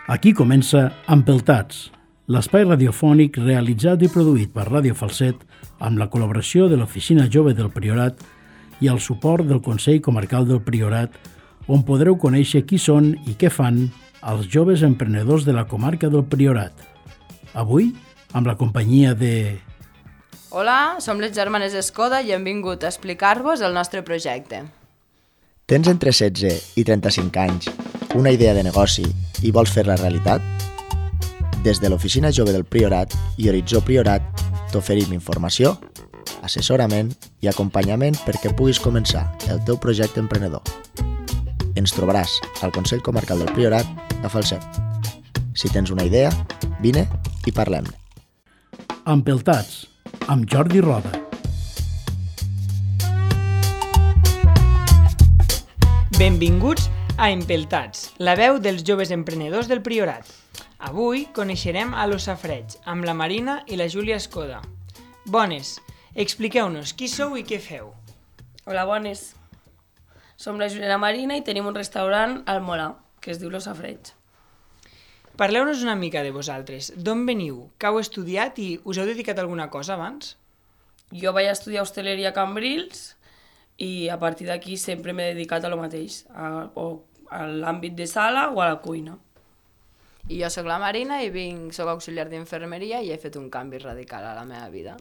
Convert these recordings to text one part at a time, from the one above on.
Aquí comença Empeltats, l'espai radiofònic realitzat i produït per Ràdio Falset amb la col·laboració de l'Oficina Jove del Priorat i el suport del Consell Comarcal del Priorat, on podreu conèixer qui són i què fan els joves emprenedors de la comarca del Priorat. Avui, amb la companyia de... Hola, som les germanes Escoda i hem vingut a explicar-vos el nostre projecte. Tens entre 16 i 35 anys, una idea de negoci i vols fer-la realitat? Des de l'Oficina Jove del Priorat i Horitzó Priorat t'oferim informació, assessorament i acompanyament perquè puguis començar el teu projecte emprenedor. Ens trobaràs al Consell Comarcal del Priorat a Falset. Si tens una idea, vine i parlem-ne. Empeltats, amb Jordi Roda. Benvinguts a Empeltats, la veu dels joves emprenedors del Priorat. Avui coneixerem a Los Safareig, amb la Marina i la Júlia Escoda. Bones, expliqueu-nos qui sou i què feu. Hola, bones. Som la Júlia i la Marina i tenim un restaurant al Molar, que es diu Los Safareig. Parleu-nos una mica de vosaltres. D'on veniu? Què heu estudiat i us heu dedicat a alguna cosa abans? Jo vaig estudiar hostaleria a Cambrils i a partir d'aquí sempre m'he dedicat a lo mateix, a l'àmbit de sala o a la cuina. I jo sóc la Marina i soc auxiliar d'infermeria i he fet un canvi radical a la meva vida.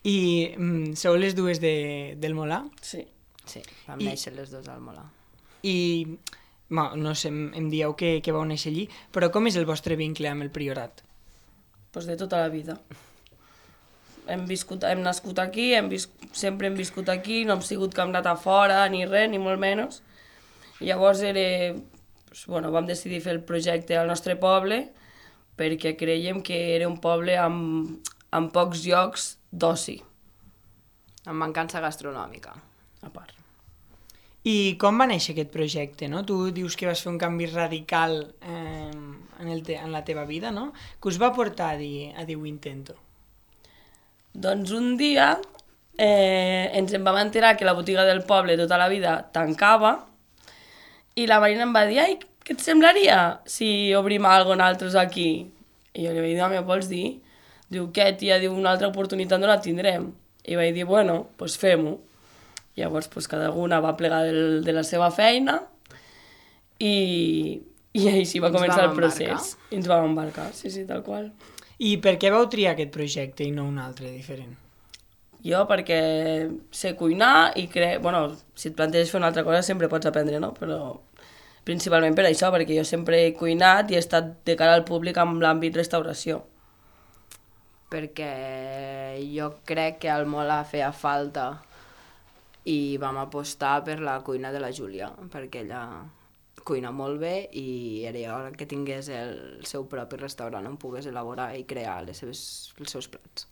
I sou les dues del Molar? Sí. Sí, vam néixer les dues al Molar. I, no sé, em dieu que vau néixer allí, però com és el vostre vincle amb el Priorat? Pues de tota la vida. Hem nascut aquí, sempre hem viscut aquí, no hem sigut que hem anat a fora, ni res, ni molt menys. I llavors vam decidir fer el projecte al nostre poble perquè creiem que era un poble amb pocs llocs d'oci. Amb mancança gastronòmica. A part. I com va néixer aquest projecte, no? Tu dius que vas fer un canvi radical en la teva vida, no? Què us va portar a dir ho intento? Doncs un dia ens en vam enterar que la botiga del poble tota la vida tancava i la Marina em va dir, ai, què et semblaria si obrim alguna cosa nosaltres aquí? I jo li vaig dir, home, vols dir? Diu, què, tia? Diu, una altra oportunitat no la tindrem. I vaig dir, bueno, doncs fem-ho. Llavors, cada una va plegar de la seva feina i així va començar el procés. I ens vam embarcar, sí, tal qual. I per què vau triar aquest projecte i no un altre diferent? Jo perquè sé cuinar i si et planteges fer una altra cosa sempre pots aprendre, no? Però principalment per això, perquè jo sempre he cuinat i he estat de cara al públic amb l'àmbit restauració. Perquè jo crec que al Molar feia falta i vam apostar per la cuina de la Júlia, perquè ella cuina molt bé i era hora que tingués el seu propi restaurant on pogués elaborar i crear els seus plats.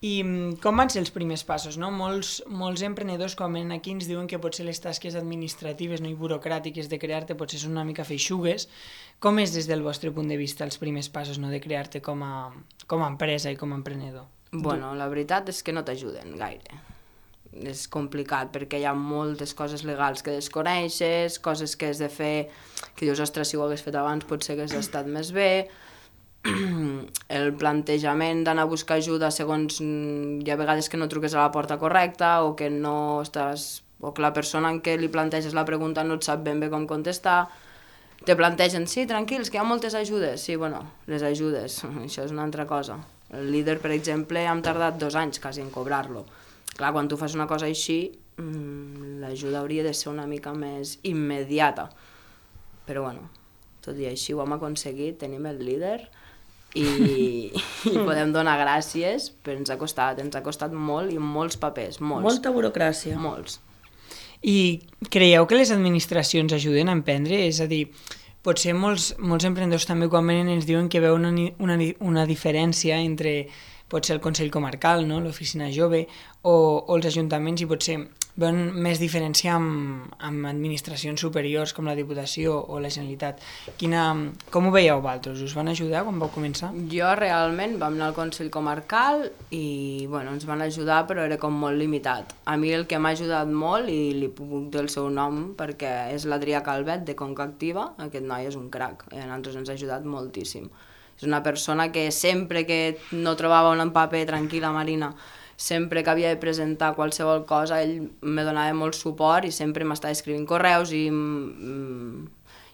I com van ser els primers passos, no? Molts emprenedors quan venen aquí ens diuen que potser les tasques administratives i burocràtiques de crear-te potser són una mica feixugues. Com és des del vostre punt de vista els primers passos de crear-te com a empresa i com a emprenedor? Bueno, la veritat és que no t'ajuden gaire. És complicat perquè hi ha moltes coses legals que desconeixes, coses que has de fer que dius, ostres, si ho hagués fet abans potser hagués estat més bé. El plantejament d'anar a buscar ajuda segons hi ha vegades que no truques a la porta correcta o que la persona en què li planteges la pregunta no et sap ben bé com contestar. Te plantegen, sí, tranquils, que hi ha moltes ajudes. Sí, les ajudes, això és una altra cosa. El líder, per exemple, hem tardat 2 anys quasi en cobrar-lo. Clar, quan tu fas una cosa així, l'ajuda hauria de ser una mica més immediata. Però tot i així ho hem aconseguit, tenim el líder i podem donar gràcies, però ens ha costat molt i molts papers, molts. Molta burocràcia. Molts. I creieu que les administracions ajuden a emprendre? És a dir, potser molts emprenedors també quan venen ens diuen que veuen una diferència entre potser el Consell Comarcal, no? L'Oficina Jove o els ajuntaments i potser veuen més diferència amb administracions superiors com la Diputació o la Generalitat. Com ho veieu vosaltres? Us van ajudar quan vau començar? Jo realment vam anar al Consell Comarcal i ens van ajudar, però era com molt limitat. A mi el que m'ha ajudat molt, i li puc dir el seu nom perquè és l'Adrià Calvet de Conca Activa, aquest noi és un crac, a nosaltres ens ha ajudat moltíssim. És una persona que sempre que no trobava un paper tranquil·la, Marina, sempre que havia de presentar qualsevol cosa, ell me donava molt suport i sempre m'estava escrivint correus i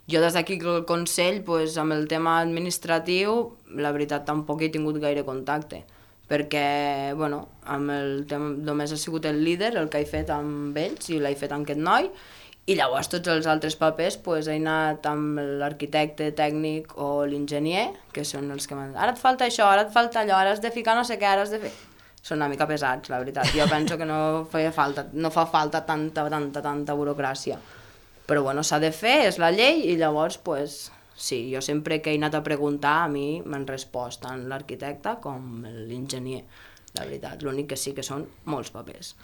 jo des d'aquí al Consell, amb el tema administratiu, la veritat tampoc he tingut gaire contacte, perquè amb el tema només ha sigut el líder el que he fet amb ells i l'he fet amb aquest noi, i llavors tots els altres papers he anat amb l'arquitecte tècnic o l'enginyer, que són els que m'han dit, ara et falta això, ara et falta allò, ara has de ficar no sé què, ara has de fer... Són una mica pesats, la veritat. Jo penso que no fa falta tanta burocràcia. Però s'ha de fer, és la llei, i llavors, sí, jo sempre que he anat a preguntar, a mi m'han respost tant l'arquitecte com l'enginyer, la veritat. L'únic que sí que són molts papers.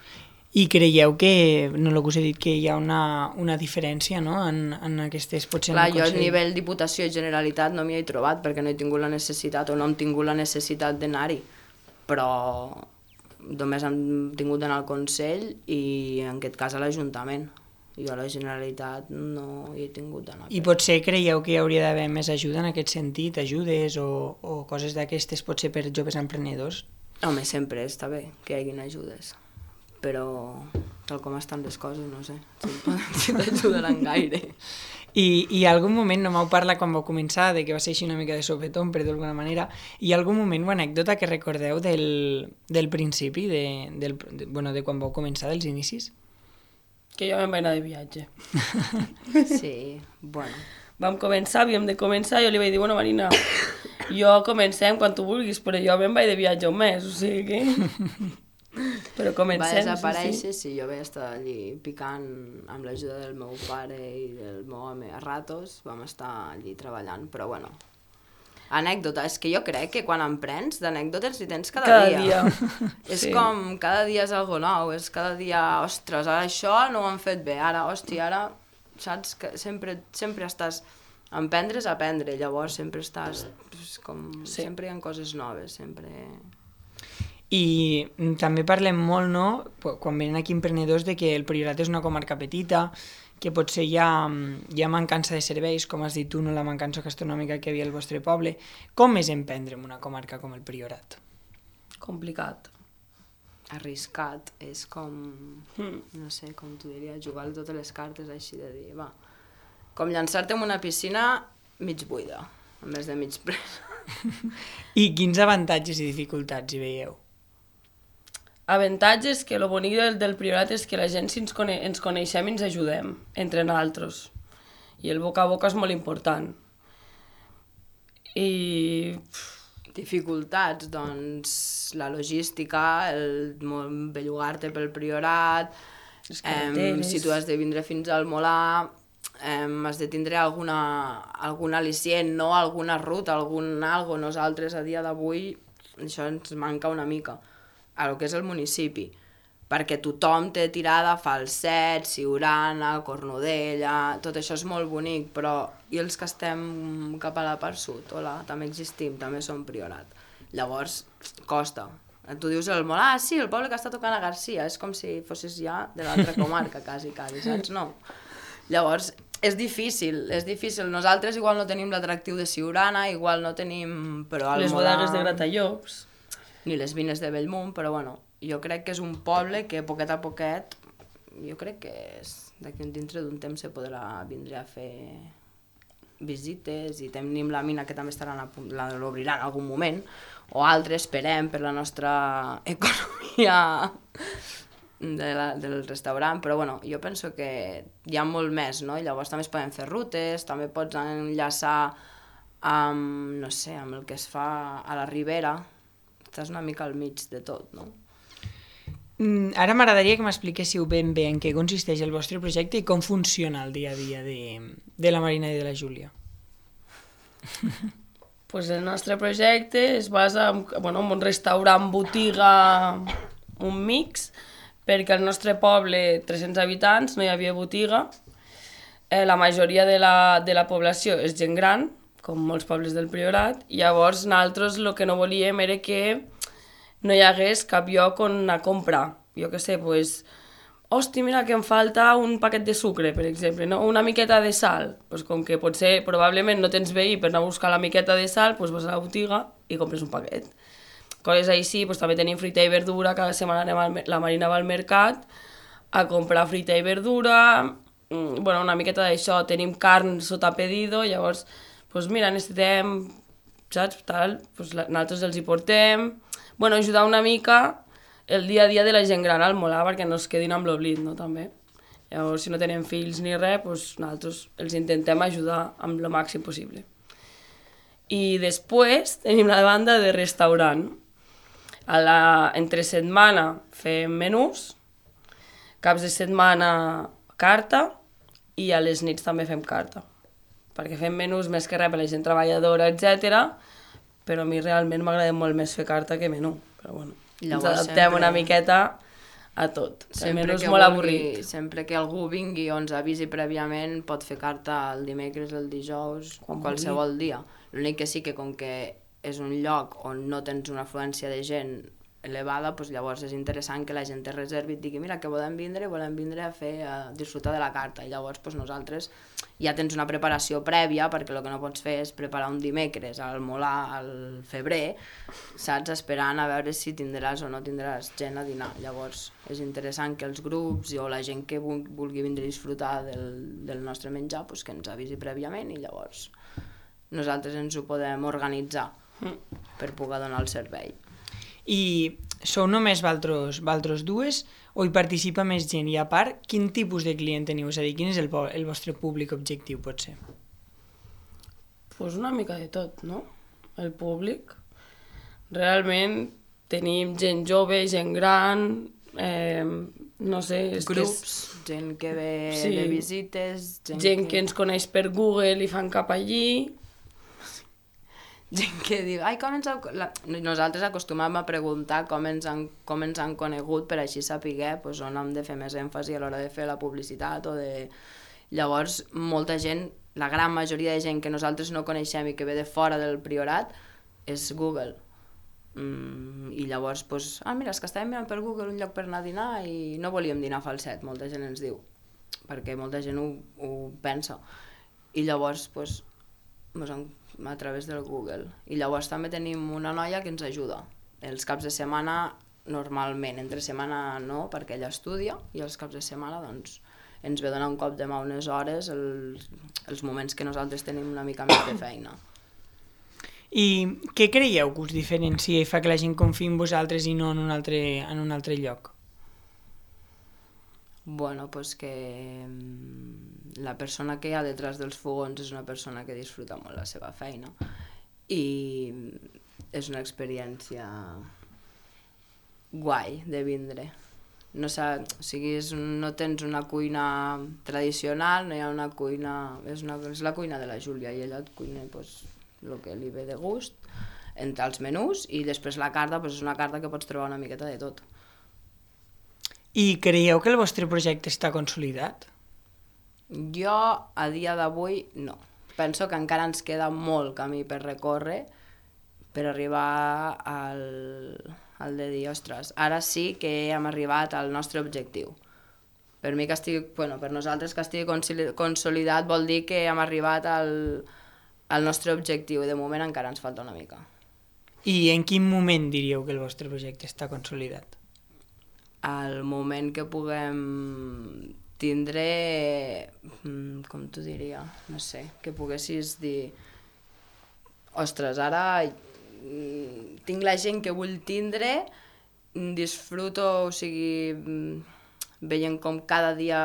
I creieu que, no el que us he dit, que hi ha una diferència, no?, en aquestes, potser Clar, en el jo Consell? a nivell Diputació i Generalitat no m'hi he trobat perquè no he tingut la necessitat o no hem tingut la necessitat d'anar-hi, però només hem tingut d'anar al Consell i en aquest cas a l'Ajuntament. Jo a la Generalitat no hi he tingut d'anar. I potser creieu que hi hauria d'haver més ajuda en aquest sentit, ajudes o coses d'aquestes potser per joves emprenedors? Home, sempre està bé que hi hagin ajudes, però tal com estan les coses, no sé, si t'ajudaran gaire. I algun moment, no m'heu parlat quan vau començar, de que va ser així una mica de sopetón, per d'alguna manera, hi ha algun moment o anècdota que recordeu del principi, de quan vau començar, dels inicis? Que jo me'n vaig anar de viatge. Sí, Vam començar, havíem de començar, jo li vaig dir, Marina, jo comencem quan tu vulguis, però jo me'n vaig de viatge un mes, o sigui que... Però comencem, va desaparèixer, sí, jo vaig estar allí picant amb l'ajuda del meu pare i del meu home a ratos, vam estar allí treballant, però anècdota, és que jo crec que quan emprens d'anècdotes hi tens cada dia. És com, cada dia és algo nou, és cada dia, ostres, ara això no ho han fet bé, ara, saps que sempre estàs, emprendre és aprendre, llavors sempre estàs, sempre hi ha coses noves, sempre... I també parlem molt, no?, quan venen aquí emprenedors, de que el Priorat és una comarca petita, que potser hi ha mancança de serveis, com has dit tu, no, la mancança gastronòmica que hi havia al vostre poble. Com és emprendre en una comarca com el Priorat? Complicat. Arriscat, és com, no sé, com t'ho diria, jugar totes les cartes així de dir, com llançar-te en una piscina mig buida, en més de mig presa. I quins avantatges i dificultats hi veieu? Avantatges que el bonic del Priorat és que la gent si ens coneixem i ens ajudem entre nosaltres. I el boca a boca és molt important. I... Dificultats, doncs, la logística, el bellugar-te pel Priorat, si tu has de vindre fins al Molar, has de tindre algun al·licient, no? Alguna ruta, algo. Nosaltres a dia d'avui això ens manca una mica a lo que és el municipi, perquè tothom té tirada a Falset, Siurana, Cornudella, tot això és molt bonic, però i els que estem cap a la part sud, hola, també existim, també som Priorat. Llavors, costa. Tu dius el Molar, sí, el poble que està tocant a Garcia, és com si fossis ja de l'altra comarca, quasi, saps? No. Llavors, és difícil. Nosaltres igual no tenim l'atractiu de Siurana, igual no tenim... Però les bodegues de Gratallops. Ni les vines de Bellmunt, però jo crec que és un poble que poquet a poquet, jo crec que d'aquí dintre d'un temps se podrà vindre a fer visites i tenim la mina que també l'obriran en algun moment, o altres, esperem, per la nostra economia del restaurant, però jo penso que hi ha molt més, no? I llavors també es poden fer rutes, també pots enllaçar amb, no sé, amb el que es fa a la Ribera, estàs una mica al mig de tot, no? Ara m'agradaria que m'expliquéssiu ben bé en què consisteix el vostre projecte i com funciona el dia a dia de la Marina i de la Júlia. Pues el nostre projecte es basa en un restaurant, botiga, un mix, perquè al nostre poble, 300 habitants, no hi havia botiga. La majoria de la població és gent gran, com molts pobles del Priorat, i llavors nosaltres el que no volíem era que no hi hagués cap lloc on anar a comprar. Jo què sé, doncs, hosti, mira que em falta un paquet de sucre, per exemple, no? Una miqueta de sal. Pues com que potser, probablement no tens veí per anar a buscar la miqueta de sal, doncs vas a la botiga i compres un paquet. Coses així, doncs també tenim fruita i verdura, cada setmana la Marina va al mercat a comprar fruita i verdura, bueno, una miqueta d'això, tenim carn sota pedido, llavors, doncs mira, necessitem, saps, tal, doncs nosaltres els hi portem, bueno, ajudar una mica el dia a dia de la gent gran al molar perquè no es quedin amb l'oblit, no, també. Llavors, si no tenen fills ni res, doncs nosaltres els intentem ajudar amb el màxim possible. I després tenim la banda de restaurant. Entre setmana fem menús, caps de setmana carta i a les nits també fem carta. Perquè fem menús més que res per la gent treballadora, etc. Però a mi realment m'agrada molt més fer carta que menú. Però bueno, ens adaptem una miqueta a tot. El menú és molt avorrit. Sempre que algú vingui o ens avisi prèviament pot fer carta el dimecres, el dijous, qualsevol dia. L'únic que sí que com que és un lloc on no tens una afluència de gent elevada, doncs llavors és interessant que la gent te reservi i et digui mira que volem vindre a disfrutar de la carta, i llavors doncs, nosaltres ja tens una preparació prèvia perquè el que no pots fer és preparar un dimecres al molar al febrer, saps, esperant a veure si tindràs o no tindràs gent a dinar. Llavors és interessant que els grups o la gent que vulgui vindre a disfrutar del nostre menjar doncs, que ens avisi prèviament i llavors nosaltres ens ho podem organitzar per poder donar el servei. I sou només valtros dues o hi participa més gent? I a part, quin tipus de client teniu? És a dir, quin és el vostre públic objectiu, potser? Pues una mica de tot, no? El públic. Realment tenim gent jove, gent gran, no sé... Grups, gent que ve de visites... Gent que ens coneix per Google i fan cap allí... Gent que diu, ai, nosaltres acostumem a preguntar com ens han conegut per així saber pues, on hem de fer més èmfasi a l'hora de fer la publicitat o de... Llavors, molta gent, la gran majoria de gent que nosaltres no coneixem i que ve de fora del Priorat és Google. I llavors, pues, mira, és que estàvem mirant per Google un lloc per anar a dinar i no volíem dinar a Falset, molta gent ens diu, perquè molta gent ho pensa. I llavors, pues, a través del Google. I llavors també tenim una noia que ens ajuda. Els caps de setmana, normalment, entre setmana no, perquè ella estudia, i els caps de setmana doncs, ens ve donar un cop de mà unes hores els moments que nosaltres tenim una mica més de feina. I què creieu que us diferencia i fa que la gent confiï en vosaltres i no en un altre lloc? Bueno, pues que la persona que hi ha detrás dels fogons és una persona que disfruta molt la seva feina i és una experiència guai de vindre. No tens una cuina tradicional, no hi ha una cuina... És la cuina de la Júlia i ella et cuina el que li ve de gust entre els menús i després la carta és una carta que pots trobar una miqueta de tot. I creieu que el vostre projecte està consolidat? Jo, a dia d'avui, no. Penso que encara ens queda molt camí per recórrer per arribar al de dir, ostres, ara sí que hem arribat al nostre objectiu. Per nosaltres que estigui consolidat vol dir que hem arribat al nostre objectiu i de moment encara ens falta una mica. I en quin moment diríeu que el vostre projecte està consolidat? Al moment que puguem tindre, com t'ho diria, no sé, que poguessis dir, ostres, ara tinc la gent que vull tindre, disfruto, o sigui, veient com cada dia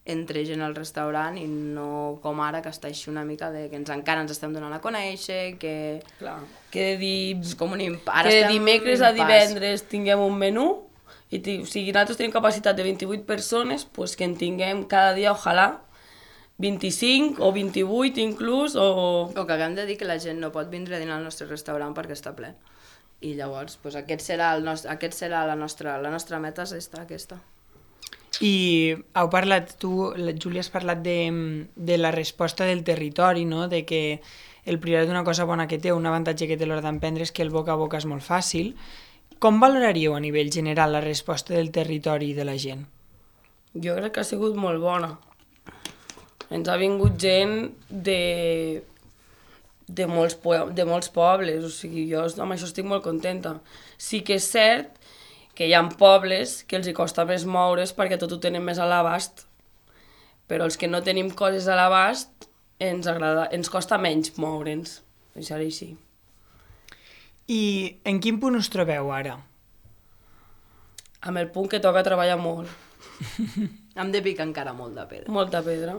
entre gent al restaurant i no com ara que està així una mica de que encara ens estem donant a conèixer, que... Clar, que de dimecres a divendres tinguem un menú, i nosaltres tenim capacitat de 28 persones, doncs que en tinguem cada dia, ojalà, 25 o 28 inclús, o que haguem de dir que la gent no pot vindre a dinar al nostre restaurant perquè està ple. I llavors, doncs, aquest serà la nostra meta, és aquesta. I heu parlat, tu, Júlia, has parlat de la resposta del territori, no? De que el Priorat, una cosa bona que té, un avantatge que té l'hora d'emprendre és que el boca a boca és molt fàcil. Com valoraríeu a nivell general la resposta del territori i de la gent? Jo crec que ha sigut molt bona. Ens ha vingut gent de molts pobles, o sigui, jo amb això estic molt contenta. Sí que és cert que hi ha pobles que els hi costa més moure's perquè tot ho tenen més a l'abast, però els que no tenim coses a l'abast ens costa menys moure'ns, això és així. I en quin punt us trobeu ara? Amb el punt que toca treballar molt. Hem de picar encara molt de pedra. Molta pedra.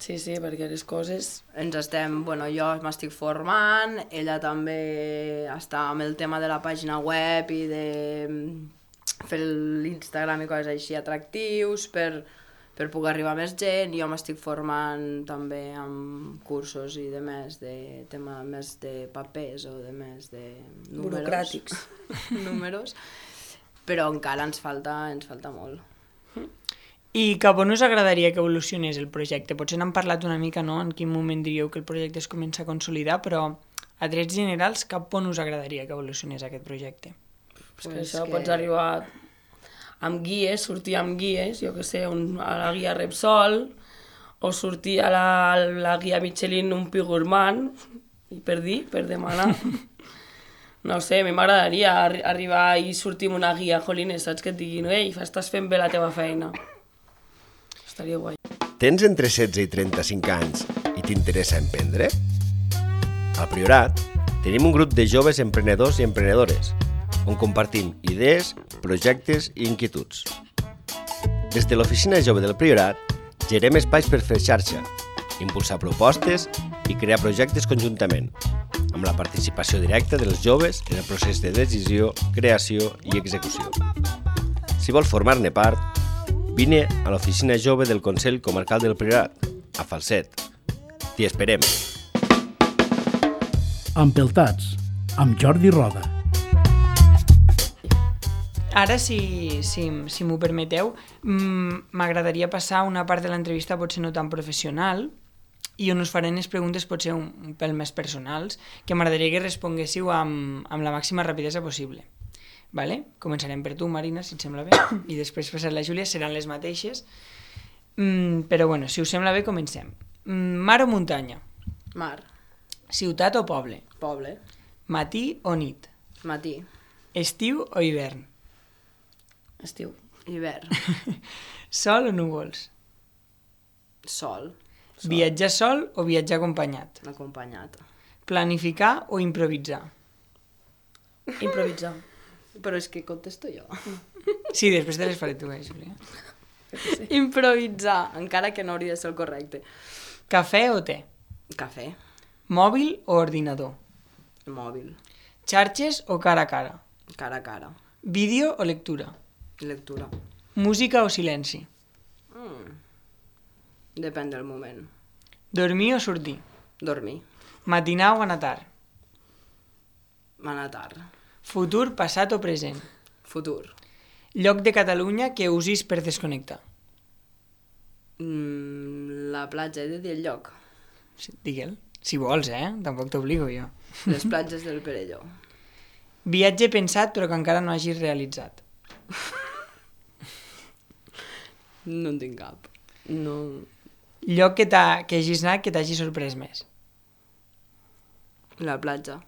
Sí, perquè les coses... Jo m'estic formant, ella també està amb el tema de la pàgina web i de fer l'Instagram i coses així atractius per poder arribar a més gent. Jo m'estic formant també amb cursos i de més de tema més de papers o de més de números. Burocràtics. Números. Però encara ens falta molt. I cap on us agradaria que evolucionés el projecte? Potser n'hem parlat una mica, no?, en quin moment diríeu que el projecte es comença a consolidar, però a trets generals, cap on us agradaria que evolucionés aquest projecte? Pues això pots arribar amb guies, sortir amb guies, jo que sé, a la guia Repsol, o sortir a la guia Michelin un pi gourmand, i per demanar. No sé, a mi m'agradaria arribar i sortir amb una guia, jolines, saps, que et diguin, ei, estàs fent bé la teva feina. Estaria guai. Tens entre 16 i 35 anys i t'interessa emprendre? Al Priorat tenim un grup de joves emprenedors i emprenedores on compartim idees, projectes i inquietuds. Des de l'Oficina Jove del Priorat gerem espais per fer xarxa, impulsar propostes i crear projectes conjuntament, amb la participació directa dels joves en el procés de decisió, creació i execució. Si vols formar-ne part, vine a l'Oficina Jove del Consell Comarcal del Priorat, a Falset. T'hi esperem. Empeltats, amb Jordi Roda. Ara, si m'ho permeteu, m'agradaria passar una part de l'entrevista potser no tan professional i on us faré les preguntes potser un pèl més personals que m'agradaria que responguéssiu amb la màxima rapidesa possible. Vale? Començarem per tu, Marina, si et sembla bé, i després passar la Júlia, seran les mateixes. Però bueno, si us sembla bé, comencem. Mar o muntanya? Mar. Ciutat o poble? Poble. Matí o nit? Matí. Estiu o hivern? Estiu. Hivern. Sol o núvols? Sol. Viatjar sol o viatjar acompanyat? Acompanyat. Planificar o improvisar? Improvisar. Però és que contesto jo. Sí, després te les faré tu, Júlia. Improvisar, encara que no hauria de ser el correcte. Cafè o te? Cafè. Mòbil o ordinador? Mòbil. Xarxes o cara a cara? Cara a cara. Vídeo o lectura? Lectura. Música o silenci? Depèn del moment. Dormir o sortir? Dormir. Matinar o anar tard? Anar tard. Futur, passat o present? Futur. Lloc de Catalunya que usis per desconnectar? La platja, he de dir el lloc. Sí, digue'l. Si vols, Tampoc t'obligo jo. Les platges del Perelló. Viatge pensat però que encara no hagis realitzat? No en tinc cap. No. Lloc que hagis anat que t'hagi sorprès més? La platja.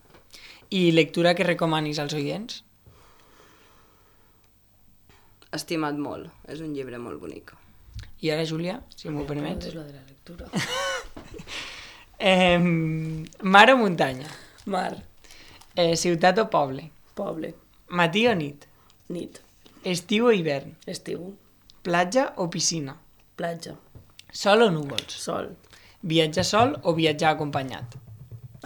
I lectura que recomanis als oients? Estimat molt. És un llibre molt bonic. I ara, Júlia, si m'ho permets. És la de la lectura. Mar o muntanya? Mar. Ciutat o poble? Poble. Matí o nit? Nit. Estiu o hivern? Estiu. Platja o piscina? Platja. Sol o núvols? Sol. Viatjar sol o viatjar acompanyat?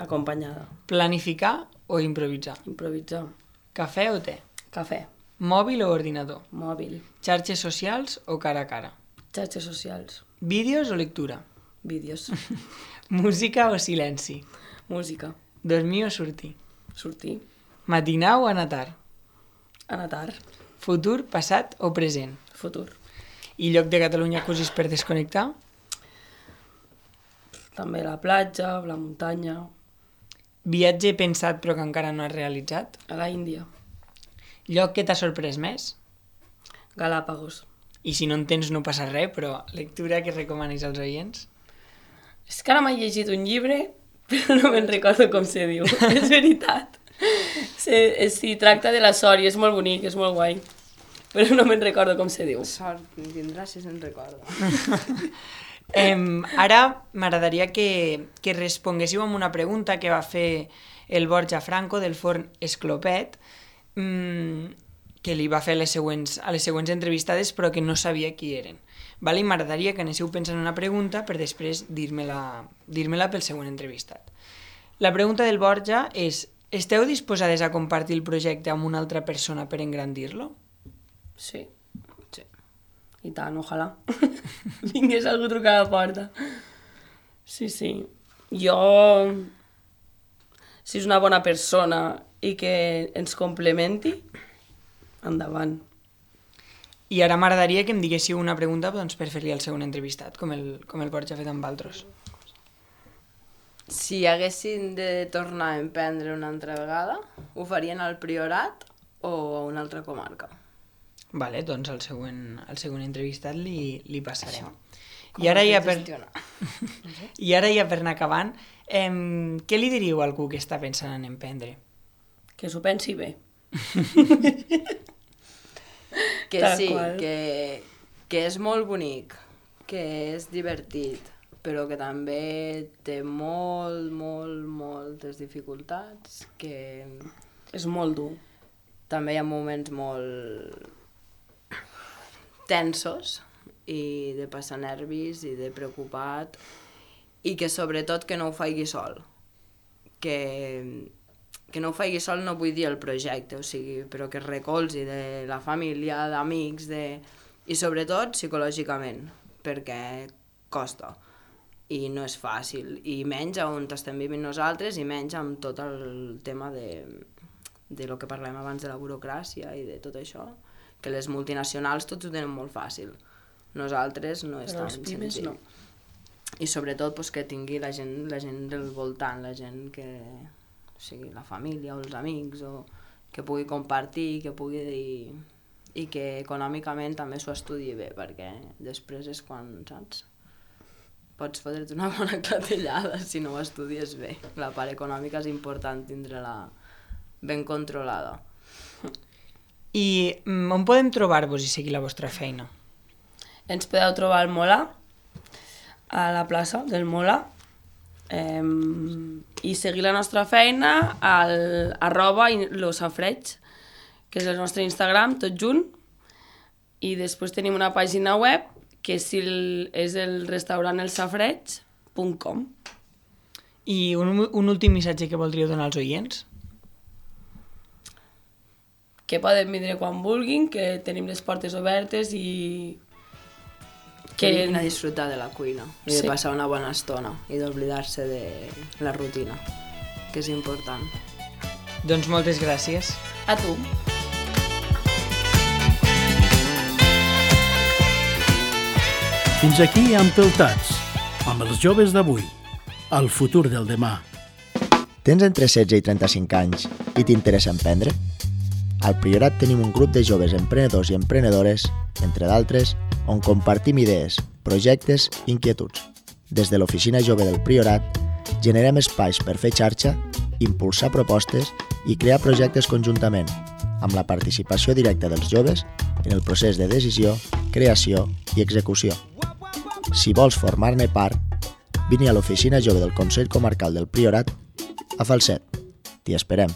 Acompanyada. Planificar o improvisar? Improvisar. Cafè o te? Cafè. Mòbil o ordinador? Mòbil. Xarxes socials o cara a cara? Xarxes socials. Vídeos o lectura? Vídeos. Música o silenci? Música. Dormir o sortir? Sortir. Matinar o anar tard? Anar tard. Futur, passat o present? Futur. I lloc de Catalunya que usis per desconnectar? També la platja, la muntanya, Viatge pensat però que encara no has realitzat? a la Índia, Lloc que t'ha sorprès més? Galàpagos. I si no en tens no passa res, però lectura que recomanis als oients? És que ara m'he llegit un llibre, però no me'n recordo com se diu, és veritat. Si tracta de la sort i és molt bonic, és molt guai, però no me'n recordo com se diu. Sort tindràs si se'n recorda. Ara m'agradaria que responguéssiu amb una pregunta que va fer el Borja Franco del forn Esclopet, que li va fer a les següents entrevistades però que no sabia qui eren. I m'agradaria que anéssiu pensant una pregunta per després dir-me-la pel següent entrevistat. La pregunta del Borja és: esteu disposades a compartir el projecte amb una altra persona per engrandir-lo? Sí. I tant, ojalà. Vingués algú a trucar a la porta. Sí. Jo, si és una bona persona i que ens complementi, endavant. I ara m'agradaria que em diguéssiu una pregunta doncs, per fer-li al segon entrevistat, com el Borja ha fet amb altres. Si haguessin de tornar a emprendre una altra vegada, ho farien al Priorat o a una altra comarca? Vale, doncs al següent entrevistat li passarem. Com I ara ja per anar acabant, què li diríeu a algú que està pensant en emprendre? Que s'ho pensi bé. Que Tal sí, qual. que és molt bonic, que és divertit, però que també té moltes dificultats, que És molt dur. també hi ha moments molt tensos i de passar nervis i de preocupat, i que sobretot que no ho faci sol. Que no ho faci sol no vull dir el projecte, o sigui, però que es recolzi de la família, d'amics, i sobretot psicològicament, perquè costa i no és fàcil, i menys on estem vivint nosaltres i menys amb tot el tema de lo que parlem abans de la burocràcia i de tot això, que les multinacionals tots ho tenen molt fàcil, nosaltres no és Però tan els pimes senzill. no. I sobretot pues, que tingui la gent del voltant, la gent que, o sigui, la família o els amics, o que pugui compartir, que pugui dir, i que econòmicament també s'ho estudi bé, perquè després és quan, saps, pots fotre't una bona clatellada si no ho estudies bé. La part econòmica és important tindre-la ben controlada. I on podem trobar-vos i seguir la vostra feina? Ens podeu trobar al Mola, a la plaça del Mola, i seguir la nostra feina al @losafreig, que és el nostre Instagram, tot junt, i després tenim una pàgina web que és el restaurant elsafreig.com. I un últim missatge que voldríeu donar als oients? Que poden vindre quan vulguin, que tenim les portes obertes i Que vinguin a disfrutar de la cuina i de Sí. passar una bona estona i d'oblidar-se de la rutina, que és important. Doncs moltes gràcies. A tu. Fins aquí Empeltats, amb els joves d'avui, el futur del demà. Tens entre 16 i 35 anys i t'interessa emprendre? Al Priorat tenim un grup de joves emprenedors i emprenedores, entre d'altres, on compartim idees, projectes i inquietuds. Des de l'Oficina Jove del Priorat, generem espais per fer xarxa, impulsar propostes i crear projectes conjuntament, amb la participació directa dels joves en el procés de decisió, creació i execució. Si vols formar-ne part, vine a l'Oficina Jove del Consell Comarcal del Priorat a Falset. T'hi esperem.